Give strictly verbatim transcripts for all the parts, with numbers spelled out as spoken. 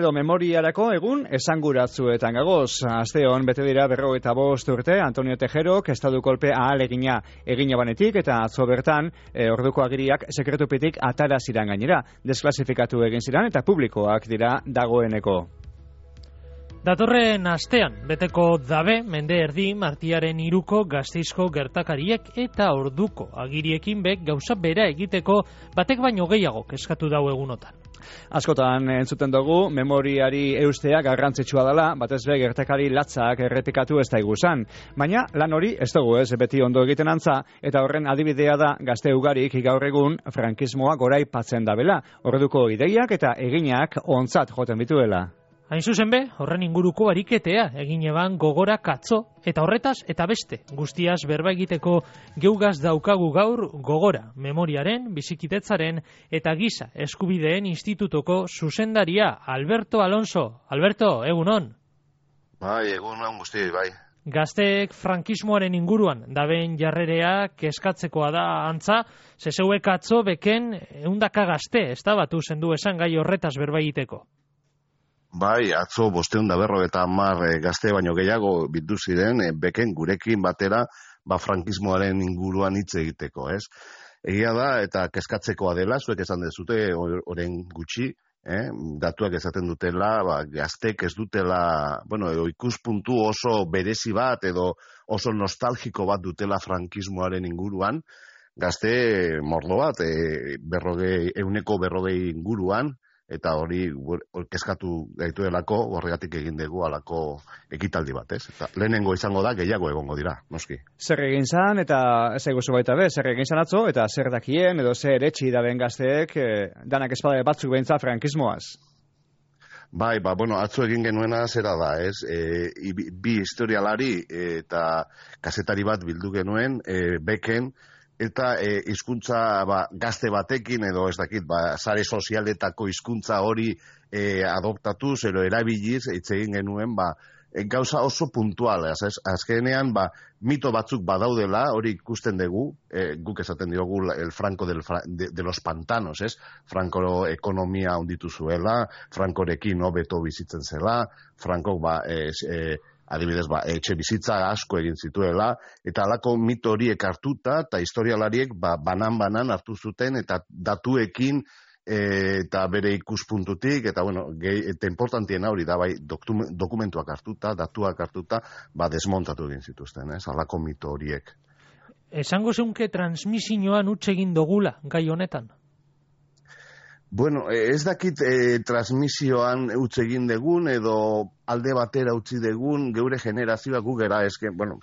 edo memoriarako egun esanguratsuetan gagoz. Asteon bete dira berrogeita bost urte Antonio Tejerok estatu kolpe ahalegina egina banetik eta atzo bertan e, orduko agiriak sekretupetik atara ziran gainera. Desklasifikatu egin ziran eta publikoak dira dagoeneko. Datorren astean, beteko dabe, mende erdi, martiaren iruko Gasteizko gertakariek eta orduko agiriekin bek gauza bera egiteko batek baino gehiago eskatu dau egunotan. Askotan entzuten dugu, memoriari eustea garrantzitsua dela, batez be gertakari latzak errepikatu ez da iguzan. Baina lan hori ez dugu ez beti ondo egiten antza, eta horren adibidea da gazte ugarik gaur egun frankismoa goraipatzen dabela, orduko ideiak eta eginak ontzat joten bituela. Hain zuzen be, horren inguruko ariketea egin eban gogora katzo, eta horretaz eta beste, guztiaz berba egiteko geugaz daukagu gaur gogora, memoriaren, bizikitetzaren eta giza eskubideen institutoko zuzendaria Alberto Alonso. Alberto, egunon? Bai, egunon guzti, bai. Gazteek frankismoaren inguruan daben jarrerea kezkatzekoa da antza, zezeuek atzo beken eundaka gazte, ez da batu zendu esan gai horretaz berba egiteko. Bai, atzo bosteun da berro eta hamar e, gazte baino gehiago bildu ziren, e, beken gurekin batera ba, frankismoaren inguruan hitz egiteko, ez? Egia da, eta kezkatzekoa dela, zuek esan dezute oren gutxi, eh? Datuak esaten dutela, ba, gaztek ez dutela, bueno, edo ikuspuntu oso berezi bat, edo oso nostalgiko bat dutela frankismoaren inguruan, gazte mordo bat, e, berrogei, euneko berrogei inguruan, eta hori kezkatu gaituelako, horregatik egin dugu alako ekitaldi bat, ez? Eta lehenengo izango da, gehiago egongo dira, noski. Zer egin zan, eta ez eguzu baita be, zer egin zan atzo, eta zer dakien, edo zer etxi daben gazteek, eh, danak espada batzuk behintza frankismoaz? Bai, ba, bueno, atzo egin genuena zera da, ez? E, bi historialari e, eta kazetari bat bildu genuen, e, beken, eta e, hizkuntza ba, gazte batekin edo ez dakit, ba, sare sozialetako hizkuntza hori e, adoptatu, zero erabiliz, hitz egin genuen, ba, e, gauza oso puntual, az, azkenean, ba, mito batzuk badaudela, hori ikusten dugu, e, guk esaten diogu el Franco del, de, de los pantanos, ez? Franco ekonomia onditu zuela, Frankorekin hobeto bizitzen zela, Franco, ba, ez, e, adibidez, ba, etxe bizitza asko egin zituela, eta alako mito horiek hartuta, eta historialariek ba, banan-banan hartu zuten, eta datuekin e, eta bere ikuspuntutik, eta bueno, gehi, eta importantien hori da, bai, dokumentuak hartuta, datuak hartuta, ba, desmontatu egin zituzten, ez, alako mito horiek. Esango zeunke transmisioan utz egin dogula, gai honetan? Bueno, ez dakit e, transmisioan utz egin degun, edo alde batera utzi degun, geure generazioa gugera, eske, bueno,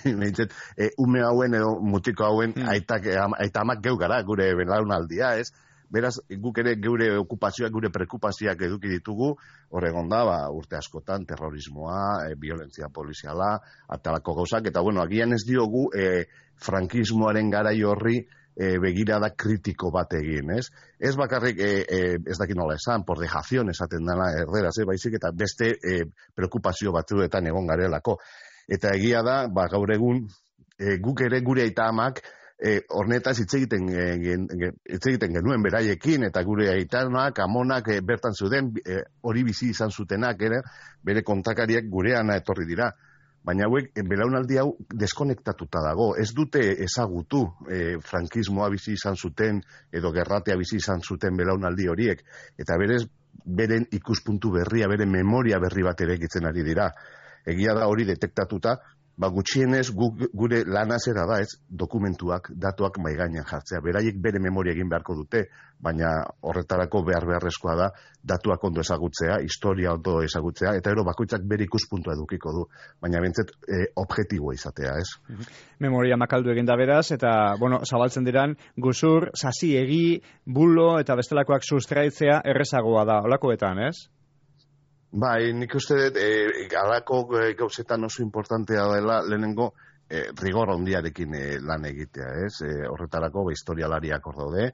nintzen, e, ume hauen edo mutiko hauen hmm. aitak, aita amak geu gara, gure belaunaldia, ez? Beraz, guk ere geure okupazioak, gure prekupazioak eduki ditugu, horregon da, ba, urte askotan, terrorismoa, e, violentzia poliziala, atalako gauzak, eta bueno, agian ez diogu e, frankismoaren garai horri, E, begirada kritiko bat egin, ez? Ez bakarrik, e, e, ez dakit nola esan, por dejación esaten dela erderaz, e, baizik eta beste e, preokupazio batzuetan egon garelako. Eta egia da, ba, gaur egun, e, guk ere gure aita amak, e, hornetaz hitz egiten, e, gen, hitz egiten genuen beraiekin, eta gure aitanak, amonak e, bertan zuden, e, hori bizi izan zutenak, ere, bere kontakariak gureana etorri dira. Baina hauek, belaunaldi hau deskonektatuta dago. Ez dute ezagutu e, frankismoa bizi izan zuten edo gerratea bizi izan zuten belaunaldi horiek. Eta berez, beren ikuspuntu berria, beren memoria berri bat ere egitzen ari dira. Egia da hori detektatuta, ba gutxienez gu, gure lana zera da, ez, dokumentuak, datuak maigainan jartzea. Beraiek bere memoria egin beharko dute, baina horretarako behar beharrezkoa da datuak ondo ezagutzea, historia ondo ezagutzea, eta ero bakoitzak bere ikuspuntua edukiko du, baina bentzet e, objektiboa izatea, ez? Memoria makaldu egin da beraz, eta, bueno, zabaltzen diran, guzur, sasi egi, bulo eta bestelakoak sustraitzea errezagoa da, olakoetan, ez? Bai, nik uste dut, e, alako e, gauzetan oso importantea dela, lehenengo, e, rigor ondiarekin e, lan egitea, ez? E, horretarako, ba, historialariak hor daude,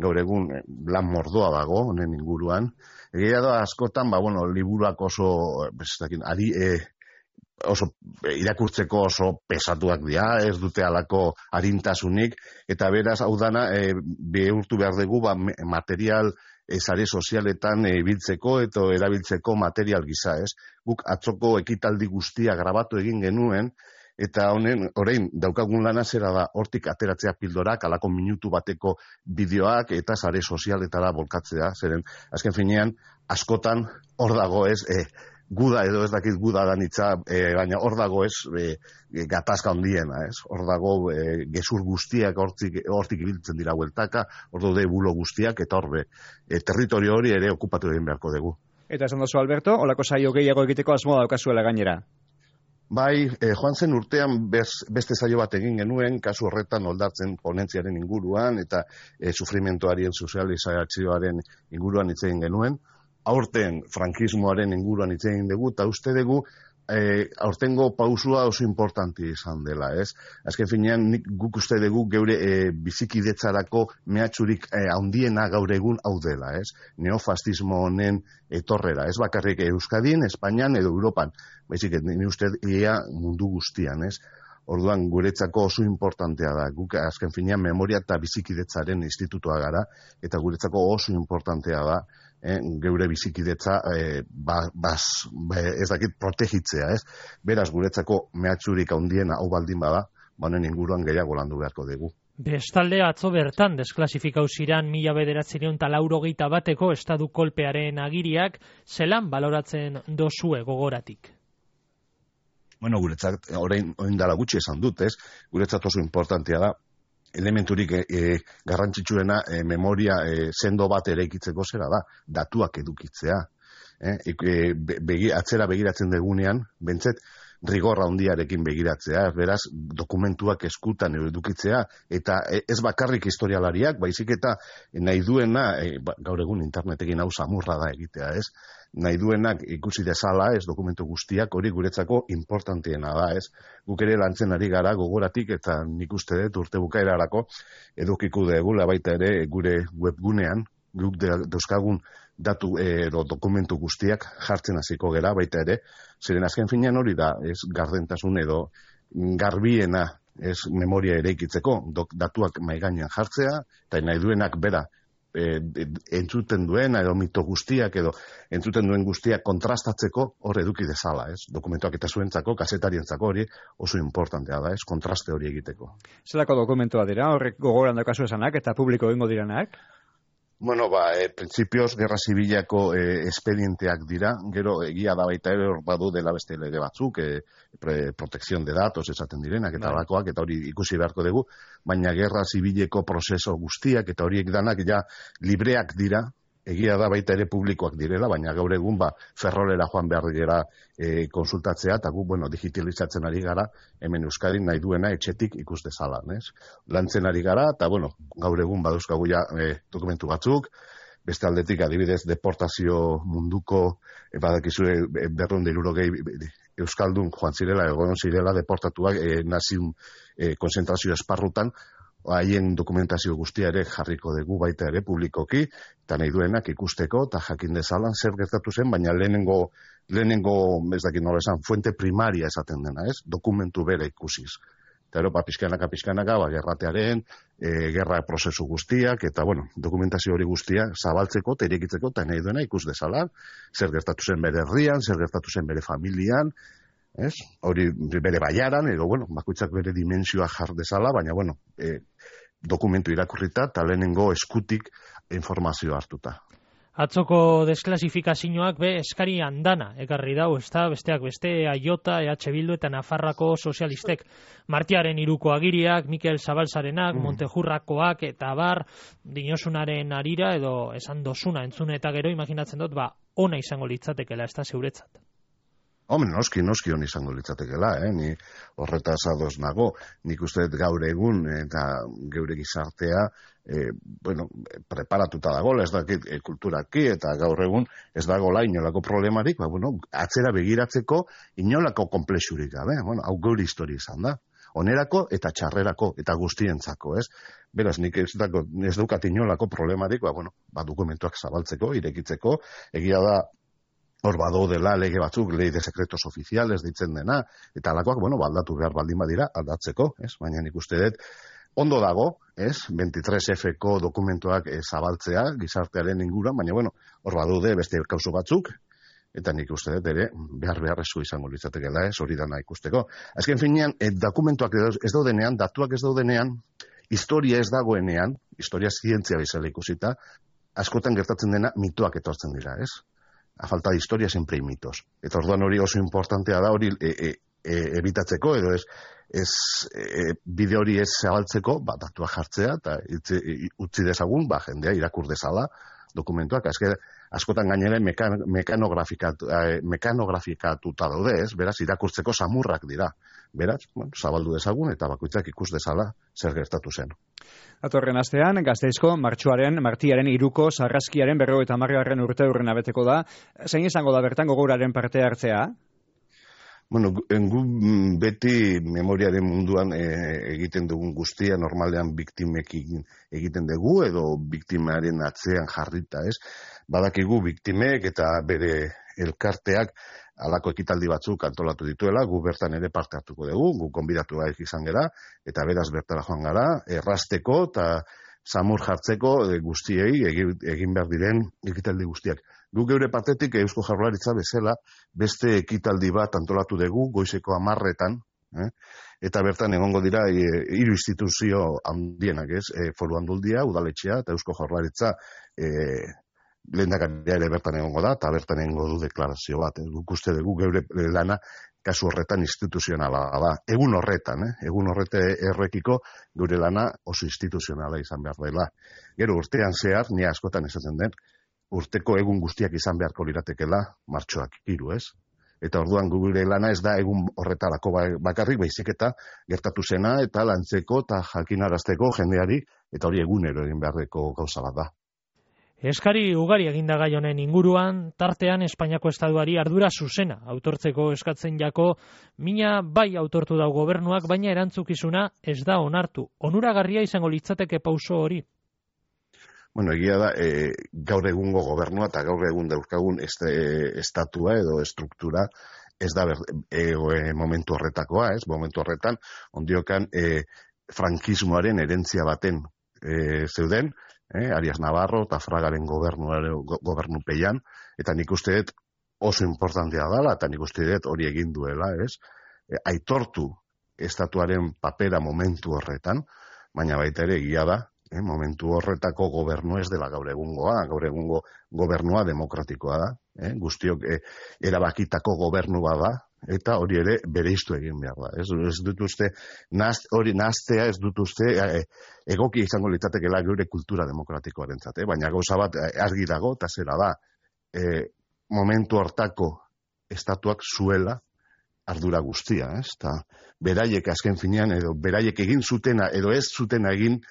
gaur egun e, lan mordoa dago, honen inguruan. Egia da, askotan, ba, bueno, liburuak oso, bestakin, ari, e, oso, e, irakurtzeko oso pesatuak dira, ez dute alako arintasunik, eta beraz, hau dana, e, behurtu behar dugu, ba, material sare sozialetan ibiltzeko eta erabiltzeko material gisa, ez? Guk atzoko ekitaldi guztia grabatu egin genuen, eta honen, orain, daukagun lana zera da, hortik ateratzea pildorak, alako minutu bateko bideoak, eta sare sozialetara bolkatzea, zeren, azken finean, askotan, hor dago ez, e, guda edo ez dakit guda danitza, e, baina hor dago ez e, gatazka handiena, ez? Hor dago e, gezur guztiak hortik, hortik ibiltzen dira hueltaka, hor daude bulo guztiak, eta horbe, e, territorio hori ere okupatu egin beharko dugu. Eta esan dozu, Alberto, olako saio gehiago egiteko asmoa daukazuela gainera? Bai, e, joan zen urtean bez, beste saio bat egin genuen, kasu horretan oldatzen ponentziaren inguruan, eta e, sufrimentoaren sozializazioaren inguruan hitz egin genuen. Aurten frankismoaren inguruan hitz egin dugu, eta uste dugu e, aurtengo pausua oso importanti izan dela, ez? Azken finean, nik guk uste dugu geure e, bizikidetzarako mehatxurik e, handiena gaur egun hau dela, ez? Neofascismo honen etorrera, ez bakarrik Euskadin, Espainian edo Europan, baizik, ni uste ia mundu guztian, ez? Orduan, guretzako oso importantea da. Guk azken finean memoria eta bizikidetzaren institutua gara, eta guretzako oso importantea da, eh, geure bizikidetza eh, ba, bas, ez dakit protegitzea, ez? Beraz, guretzako mehatxurik handiena hau baldin bada, banen inguruan gehiago landu beharko dugu. Bestalde atzo bertan desklasifikau ziran mila bederatziehun eta laurogeita bateko estadu kolpearen agiriak, zelan baloratzen dozue gogoratik? Bueno, guretzat, orain dela gutxi esan dut, ez? Guretzat oso importantea da, elementurik e, e, garrantzitsuena e, memoria e, sendo bat eraikitzeko zera da, datuak edukitzea. E, e, begi, atzera begiratzen degunean, bentzet, rigorra handiarekin begiratzea, beraz, dokumentuak eskutan edukitzea, eta ez bakarrik historialariak, baizik eta nahi duena, e, ba, gaur egun internetekin hau samurra da egitea, ez? Nahi duenak ikusi dezala, ez dokumentu guztiak, hori guretzako importantiena da, ez? Guk ere lantzen ari gara gogoratik, eta nik uste dut urte bukaerarako edukiko degula baita ere gure webgunean, guk dauzkagun datu edo dokumentu guztiak jartzen hasiko gera baita ere, zeren azken finean hori da, ez gardentasun edo garbiena ez memoria eraikitzeko, datuak maigainean jartzea, eta nahi duenak bera, E, entzuten duen edo mito guztiak edo entzuten duen guztiak kontrastatzeko hor eduki dezala, ez? Dokumentuak eta zuentzako, kazetarientzako hori oso importantea da, ez? Kontraste hori egiteko. Zelako dokumentua dira, horrek gogoran daukazu esanak eta publiko egingo diranak? Bueno, ba, e, printzipioz, gerra zibilako e, espedienteak dira, gero egia da baita ere hor badu dela beste lege batzuk, e, pre, protección de datos esaten direnak, eta bakoak, eta hori ikusi beharko dugu, baina gerra zibileko prozeso guztiak, eta horiek danak ja libreak dira, egia da baita ere publikoak direla, baina gaur egun ba, ferrolera joan behar dira e, konsultatzea, eta gu, bueno, digitalizatzen ari gara, hemen Euskadin nahi duena etxetik ikus dezalan, ez? Lantzen ari gara, eta, bueno, gaur egun baduzkagu ja e, dokumentu batzuk, beste aldetik adibidez deportazio munduko, e, badakizue e, berrehun eta hirurogei Euskaldun joan zirela, egon zirela deportatuak e, naziun e, konzentrazio esparrutan, haien dokumentazio guztia ere jarriko dugu baita ere publikoki, eta nahi duenak ikusteko, eta jakin dezalan zer gertatu zen, baina lehenengo, lehenengo ez dakit nola esan, fuente primaria esaten dena, ez? Dokumentu bere ikusiz. Eta ero, ba, pixkanaka, pixkanaka, ba, gerratearen, e, gerra prozesu guztiak, eta, bueno, dokumentazio hori guztia zabaltzeko, eta irekitzeko, eta nahi duena ikus dezalan, zer gertatu zen bere herrian, zer gertatu zen bere familian, ez? Hori bere baiaran, edo, bueno, bakoitzak bere dimensioa jar dezala, baina, bueno, e, dokumentu irakurrita, eta lehenengo eskutik informazioa hartuta. Atzoko desklasifikazioak be eskari andana ekarri dau, ezta besteak beste Aiota, E H Bildu eta Nafarrako sozialistek. Martiaren hiruko agiriak, Mikel Zabalzarenak, mm. Montejurrakoak eta bar, dinosunaren arira edo esan dosuna entzune eta gero imaginatzen dut, ba, ona izango litzatekela, ez da zeuretzat. Hombre, noski, noski hon izango litzatekela, eh? Ni horretaz ados nago, nik uste gaur egun eta geure gizartea, e, bueno, preparatuta dagoela, ez dakit e, kulturaki eta gaur egun ez dagoela inolako problemarik, ba, bueno, atzera begiratzeko inolako komplexurik gabe, bueno, hau geure historia izan da. Onerako eta txarrerako eta guztientzako, ez? Beraz, nik ez, dako, ez daukat inolako problemarik, ba, bueno, ba, dokumentuak zabaltzeko, irekitzeko, egia da, hor bado dela lege batzuk, lei de secretos oficiales deitzen dena, eta alakoak, bueno, baldatu behar baldin badira, aldatzeko, ez? Baina nik uste dut, ondo dago, ez, veintitres F-ko dokumentuak e, zabaltzea gizartearen inguruan, baina bueno, hor badude beste kauso batzuk, eta nik uste dut ere behar beharrezko izango litzatekeela, ez, hori dana ikusteko. Azken finean, e, dokumentuak ez daudenean, datuak ez daudenean, historia ez dagoenean, historia zientzia bezala ikusita, askotan gertatzen dena mitoak etortzen dira, ez? A falta de historia siempre hay mitos. Eta orduan hori oso importantea da hori e, e, e, ebitatzeko, edo ez, ez e, bide hori ez zabaltzeko, ba, datua jartzea, eta itzi, utzi dezagun, ba, jendea irakur dezala dokumentuak. Azke, askotan gainera mekan, mekanografikatu, eh, mekanografikatuta daude, ez? Beraz, irakurtzeko samurrak dira. Beraz, bueno, zabaldu dezagun eta bakoitzak ikus dezala zer gertatu zen. Datorren astean, Gasteizko martxoaren, martiaren iruko sarraskiaren berrogeita hamargarren urte urren abeteko da. Zein izango da bertan gogoraren parte hartzea? Bueno, gu beti memoriaren munduan e, egiten dugun guztia, normalean biktimekin egiten dugu, edo biktimaren atzean jarrita, ez? Badakigu biktimek eta bere elkarteak halako ekitaldi batzuk antolatu dituela, gu bertan ere parte hartuko dugu, gu konbidatu gaik izan gara, eta beraz bertara joan gara, errasteko eta samur jartzeko e, guztiei egin, egin behar diren ekitaldi guztiak. Gu geure partetik Eusko Jaurlaritza bezala beste ekitaldi bat antolatu dugu goizeko hamarretan, eh? Eta bertan egongo dira e, hiru instituzio handienak, ez? E, Foru Aldundia, Udaletxea eta Eusko Jaurlaritza e, lehendakaria ere bertan egongo da, eta bertan egongo du deklarazio bat. Eh? Guk uste dugu geure lana kasu horretan instituzionala da. Egun horretan, eh? egun horrete errekiko geure lana oso instituzionala izan behar dela. Gero urtean zehar, ni askotan esaten den, urteko egun guztiak izan beharko liratekela, martxoak hiru, ez? Eta orduan gure lana ez da egun horretarako bakarrik, baizik eta gertatu zena eta lantzeko eta jakinarazteko jendeari, eta hori egunero egin beharreko gauza bat da. Eskari ugari eginda gai honen inguruan, tartean Espainiako Estatuari ardura zuzena autortzeko eskatzen jako, mina bai autortu dau gobernuak, baina erantzukizuna ez da onartu. Onuragarria izango litzateke pauso hori? Bueno, egia da, e, gaur egungo gobernua eta gaur egun dauzkagun este, estatua edo estruktura ez da ber, e, e, momentu horretakoa, ez? Momentu horretan, ondiokan e, frankismoaren herentzia baten e, zeuden, e, Arias Navarro eta Fragaren gobernupeian, eta nik uste dut oso importantea dela, eta nik uste dut hori egin duela, ez? E, aitortu estatuaren papera momentu horretan, baina baita ere egia da, Eh, momentu horretako gobernu ez dela gaur egungoa, gaur egungo gobernua demokratikoa da, eh, guztiok eh, erabakitako gobernua da, eta hori ere bereiztu egin behar da. Ez, ez dut uste, naz, hori naztea ez dut uste eh, egoki izango litzatekeela geure kultura demokratikoarentzat, eh, baina gauza bat eh, argi dago, eta zera da, eh, momentu hortako estatuak zuela ardura guztia, ez, eta beraiek azken finean, edo beraiek egin zutena, edo ez zutena egin,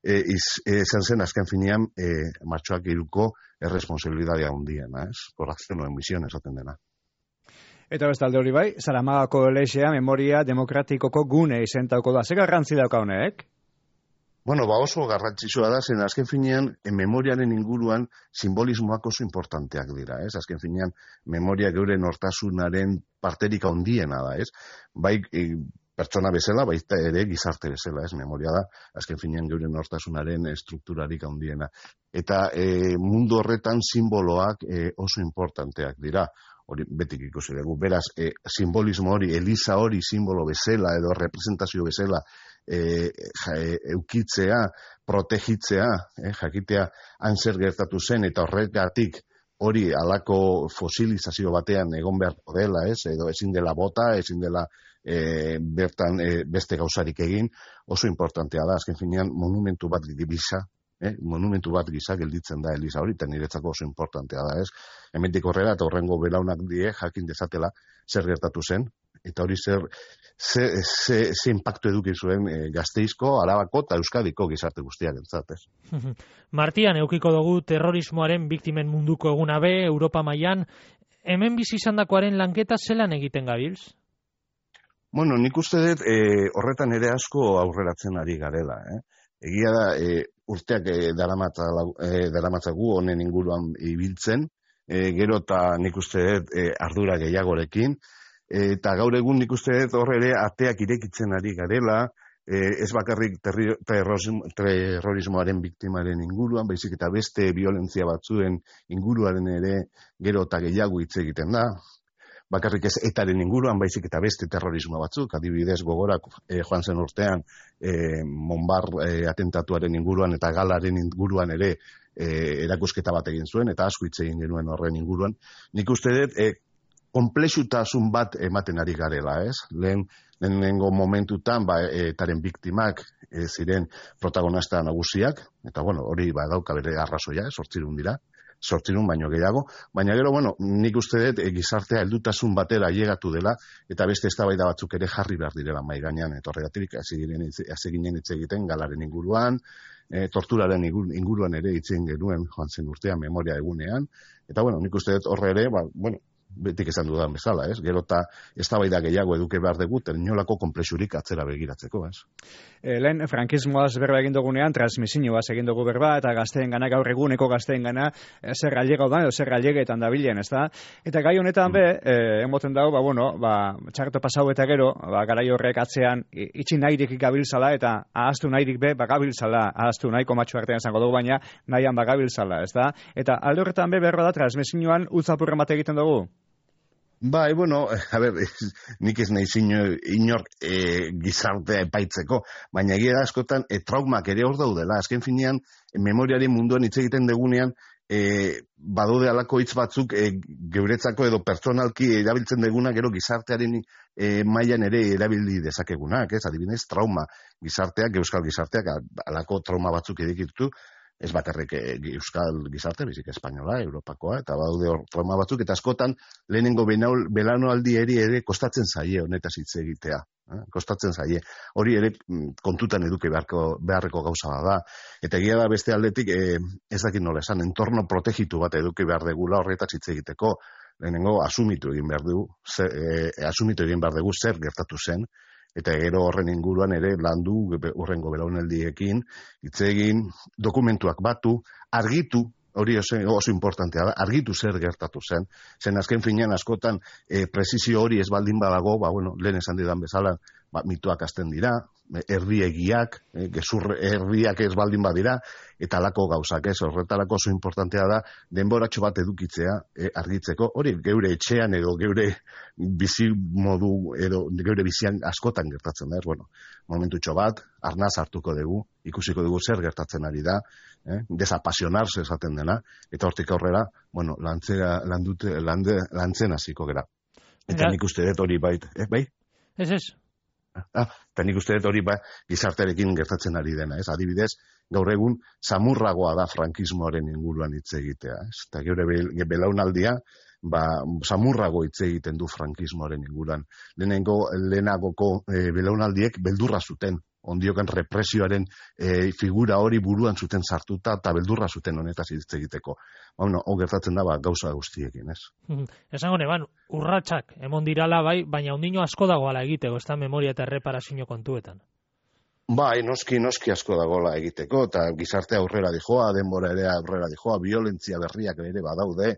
izan zen azken finean e, martxoak iruko erresponsabilidadea hundiena, ez? Corrección o emisión esaten dena. Eta bestalde hori bai, Zaramagako elexea memoria demokratikoko gune izentauko da. Ze garrantzi dauka honek? Bueno, ba oso garrantzitsua da, zen azken finean e, memoriaren inguruan simbolismoak oso importanteak dira, ez? Azken finean memoria geure nortasunaren parterik handiena da, ez? Bai, e, pertsona bezala, baita ere gizarte bezala, ez, memoria da, azken finean geure nortasunaren estrukturarik handiena. Eta e, mundu horretan simboloak e, oso importanteak dira, hori betik ikusi dugu. Beraz, e, simbolismo hori, eliza hori simbolo bezala edo representazio bezala e, ja, e, eukitzea, protegitzea, e, jakitea han zer gertatu zen, eta horregatik hori alako fosilizazio batean egon beharko dela, ez, edo ezin dela bota, ezin dela E, bertan e, beste gauzarik egin, oso importantea da, azken finean monumentu bat gisa, eh, monumentu bat gisa gelditzen da eliza hori, eta niretzako oso importantea da, ez? Hemendik horrela eta horrengo belaunak die jakin dezatela zer gertatu zen, eta hori zer ze, ze, ze impactu eduki zuen e, Gasteizko, Arabako eta Euskadiko gizarte guztiak entzat, ez? Martian, eukiko dugu terrorismoaren biktimen munduko eguna be, Europa mailan, hemen bizi izandakoaren lanketa zelan egiten gabiltz? Bueno, nik uste dut e, horretan ere asko aurreratzen ari garela. Eh? Egia da, e, urteak e, daramatzagu honen inguruan ibiltzen, e, gero eta nik uste dut e, ardura gehiagorekin, e, eta gaur egun nik uste dut horre ere ateak irekitzen ari garela, eh, ez bakarrik terri, terrorismo, terrorismoaren biktimaren inguruan, baizik eta beste violentzia batzuen inguruaren ere gero eta gehiago hitz egiten da. Bakarrik ez etaren inguruan, baizik eta beste terrorismo batzuk, adibidez gogorak eh, joan zen urtean eh, Monbar eh, atentatuaren inguruan eta galaren inguruan ere eh, erakusketa bat egin zuen, eta asko hitz egin genuen horren inguruan. Nik uste dut, eh, konplexutasun bat ematen ari garela, ez? Lehen, lehenengo momentutan, ba, etaren biktimak e, ziren protagonista nagusiak, eta bueno, hori ba, dauka bere arrazoia, sortzirun dira, sortzirun baino gehiago, baina gero, bueno, nik uste dut e, gizartea heldutasun batera ailegatu dela, eta beste eztabaida batzuk ere jarri behar direla mai gainean, eta horregatik hasi ginen hitz egiten galaren inguruan, e, torturaren inguruan ere hitz egin genuen joan zen urtean memoria egunean, eta bueno, nik uste dut horre ere, ba, bueno, betik esan dudan bezala, ez? Gero eta eztabaida gehiago eduke behar dugu, inolako konplexurik atzera begiratzeko, ez? E, lehen, frankismoaz berba egin dugunean, transmisioaz egin dugu berba, eta gazteen gana, gaur eguneko gazteen gana, e, zer gallega da, edo zer gallegetan dabilen, ez da? Eta gai honetan be, e, emoten dago, ba, bueno, ba, txarto pasau eta gero, ba, garai horrek atzean, itxi nahirik gabiltzala, eta ahaztu nahirik be, bagabiltzala, ahaztu nahiko matxu artean izango dugu, baina nahian bagabiltzala, ez da? Eta alde horretan be, berba da, transmisioan utzapurren bat egiten dugu? Bai, bueno, a ber, nik ez nahi zinio inor e, gizartea epaitzeko, baina egia da askotan e, traumak ere hor daudela. Azken finean, memoriaren munduan hitz egiten degunean, e, badaude alako hitz batzuk e, geuretzako edo pertsonalki erabiltzen deguna, gero gizartearen e, mailan ere erabili dezakegunak, ez? Adibidez, trauma gizarteak, euskal gizarteak, alako trauma batzuk edikitu, ez bakarrik euskal gizarte, bizik espainola, europakoa, eta badaude hor trauma batzuk, eta askotan lehenengo belanoaldi eri ere kostatzen zaie honetaz hitz egitea. Eh? Kostatzen zaie. Hori ere kontutan eduki beharko, beharreko gauza da. Eta egia da beste aldetik, eh, ez dakit nola esan, entorno protegitu bat eduki behar degula horretaz hitz egiteko, lehenengo asumitu egin behar dugu, zer, eh, asumitu egin behar dugu zer gertatu zen, eta gero horren inguruan ere landu urrengo belaunaldiekin, hitz egin, dokumentuak batu, argitu, hori oso, oso importantea da, argitu zer gertatu zen, zen azken finean askotan e, presizio hori ez baldin badago, ba, bueno, lehen esan didan bezala, ba, mituak azten dira, herriegiak, e, gezur herriak ez baldin badira, eta alako gauzak ez, horretarako oso importantea da, denboratxo bat edukitzea e, argitzeko, hori geure etxean edo geure bizi modu, edo geure bizian askotan gertatzen da, ez, bueno, momentutxo bat, arnaz hartuko dugu, ikusiko dugu zer gertatzen ari da, eh? Desapasionarse esaten dena, eta hortik aurrera, bueno, lantzera, landute, lande, lantzen hasiko gera. Eta nik uste dut hori bait, eh, bai? Ez ez. Ah, eta nik uste dut hori ba, gizartearekin gertatzen ari dena, ez? Adibidez, gaur egun, samurragoa da frankismoaren inguruan hitz egitea, ez? Eta geure belaunaldia, ba, samurrago hitz egiten du frankismoaren inguruan. Lehenengo, lehenagoko e, belaunaldiek beldurra zuten, ondiokan represioaren e, figura hori buruan zuten sartuta eta beldurra zuten honetaz hitz egiteko. Bueno, hau gertatzen da ba, gauza guztiekin, ez? Esango neban, urratsak emon dirala bai, baina ondino asko dagoala egiteko, ez da memoria eta erreparazio kontuetan. Bai, noski, noski asko dagoela egiteko, eta gizartea aurrera dijoa, denbora ere aurrera dijoa, violentzia berriak ere badaude,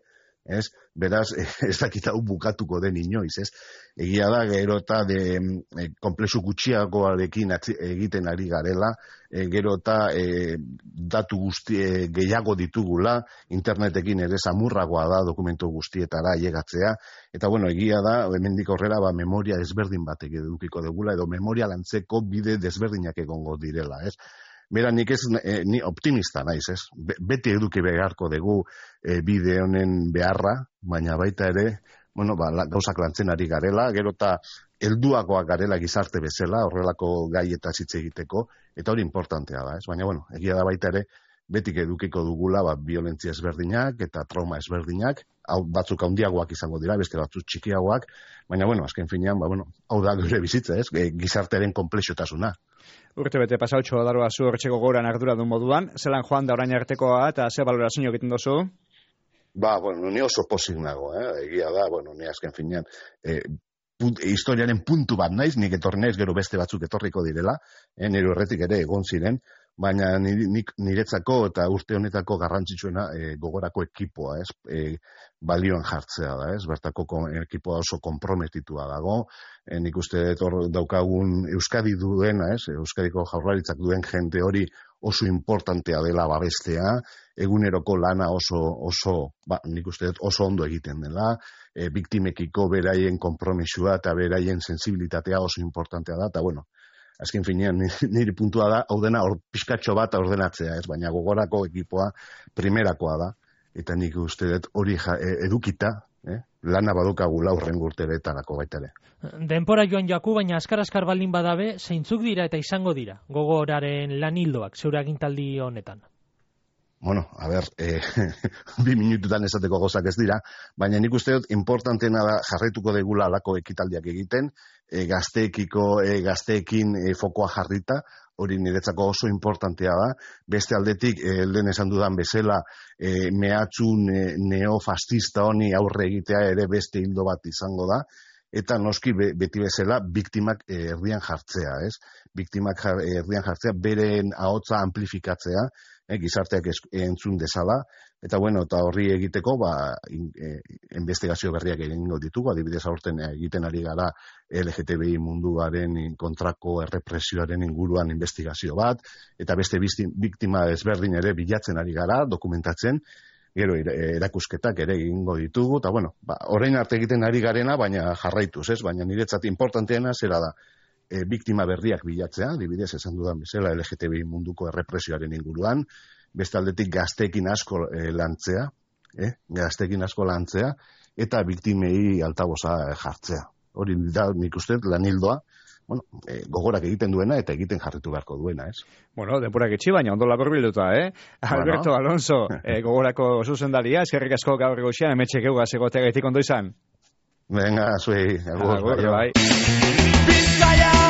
ez? Beraz, ez dakit hau bukatuko den inoiz, ez? Egia da, gero eta de, e, komplexu gutxiagoarekin egiten ari garela, e, gero eta e, datu guzti e, gehiago ditugula, internetekin ere samurragoa da dokumentu guztietara ailegatzea, eta bueno, egia da, hemendik aurrera ba, memoria desberdin batek edukiko dugula, edo memoria lantzeko bide desberdinak egongo direla, ez? Bera, nik ez, eh, ni optimista naiz, ez? Be, beti eduki beharko dugu eh, bide honen beharra, baina baita ere, bueno, ba, la, gauzak lantzen ari garela, gero eta helduagoak garela gizarte bezala, horrelako gaietaz hitz egiteko, eta hori importantea da, ez? Baina, bueno, egia da baita ere, betik edukiko dugula, ba, violentzia ezberdinak eta trauma ezberdinak, hau batzuk handiagoak izango dira, beste batzuk txikiagoak, baina, bueno, azken finean, ba, bueno, hau da gure bizitza, ez? Gizartearen konplexutasuna. Urte bete pasautxo daroa zu hortxeko goran ardura duen moduan, zelan joan da orain artekoa eta ze balorazio egiten dozu? Ba, bueno, ni oso pozik nago, eh? Egia da, bueno, ni azken finean, eh, punt, historiaren puntu bat naiz, nik etorri naiz, gero beste batzuk etorriko direla, eh? Nire horretik ere egon ziren, baina niretzako eta urte honetako garrantzitsuena e, gogorako ekipoa, ez? E, balioan jartzea da, ez? Bertako ekipoa oso konprometitua dago, e, nik uste hor daukagun Euskadi duena, ez? Euskadiko Jaurlaritzak duen jende hori oso importantea dela babestea, eguneroko lana oso, oso ba, nik uste oso ondo egiten dela, e, biktimekiko beraien konpromisua eta beraien sensibilitatea oso importantea da, eta bueno, azken finean, niri puntua da, hau dena or, pizkatxo bat ordenatzea, ez, baina gogorako ekipoa primerakoa da, eta nik uste dut hori ja, edukita, eh? Lana badukagula urren urteretarako baita ere. Denpora joan jaku, baina askar-askar baldin badabe, zeintzuk dira eta izango dira, gogoraren lan hildoak, zeure agintaldi honetan? Bueno, a ber, eh, bi minututan esateko gozak ez dira, baina nik uste dut importantena da jarraituko degula alako ekitaldiak egiten, e, gazteekiko, e, gazteekin e, fokoa jarrita, hori niretzako oso importantea da, beste aldetik, e, lehen esan dudan bezala, e, mehatxun e, neofascista honi aurre egitea ere beste hildo bat izango da, eta noski be, beti bezala biktimak e, erdian jartzea, ez? Biktimak jar, erdian jartzea, beren ahotsa amplifikatzea, e, gizarteak es, entzun dezala, eta bueno, eta horri egiteko, ba, in, e, investigazio berriak egingo ditugu, adibidez aurten egiten ari gara L G T B I munduaren kontrako errepresioaren inguruan investigazio bat, eta beste biktima ezberdin ere bilatzen ari gara, dokumentatzen, gero erakusketak ere egingo ditugu, eta bueno, ba, orain arte egiten ari garena, baina jarraituz, ez? Baina niretzat importanteena zera da, e, biktima berriak bilatzea, adibidez esan dudan bezala L G T B I munduko errepresioaren inguruan, beste aldetik gazteekin asko e, lantzea, eh? gazteekin asko lantzea, eta biktimei altaboza jartzea. Hori da nik uste lan hildoa, bueno, e, gogorak egiten duena eta egiten jarritu beharko duena, ez? Bueno, denporak etxi, baina ondo labor bilduta, eh? Bueno. Alberto Alonso, e, gogorako zuzendaria, eskerrik asko gaur goxean, emetxe geugaz egotea gaitik ondo izan. Venga, zuei, agur, agur, bai. Bizkaia!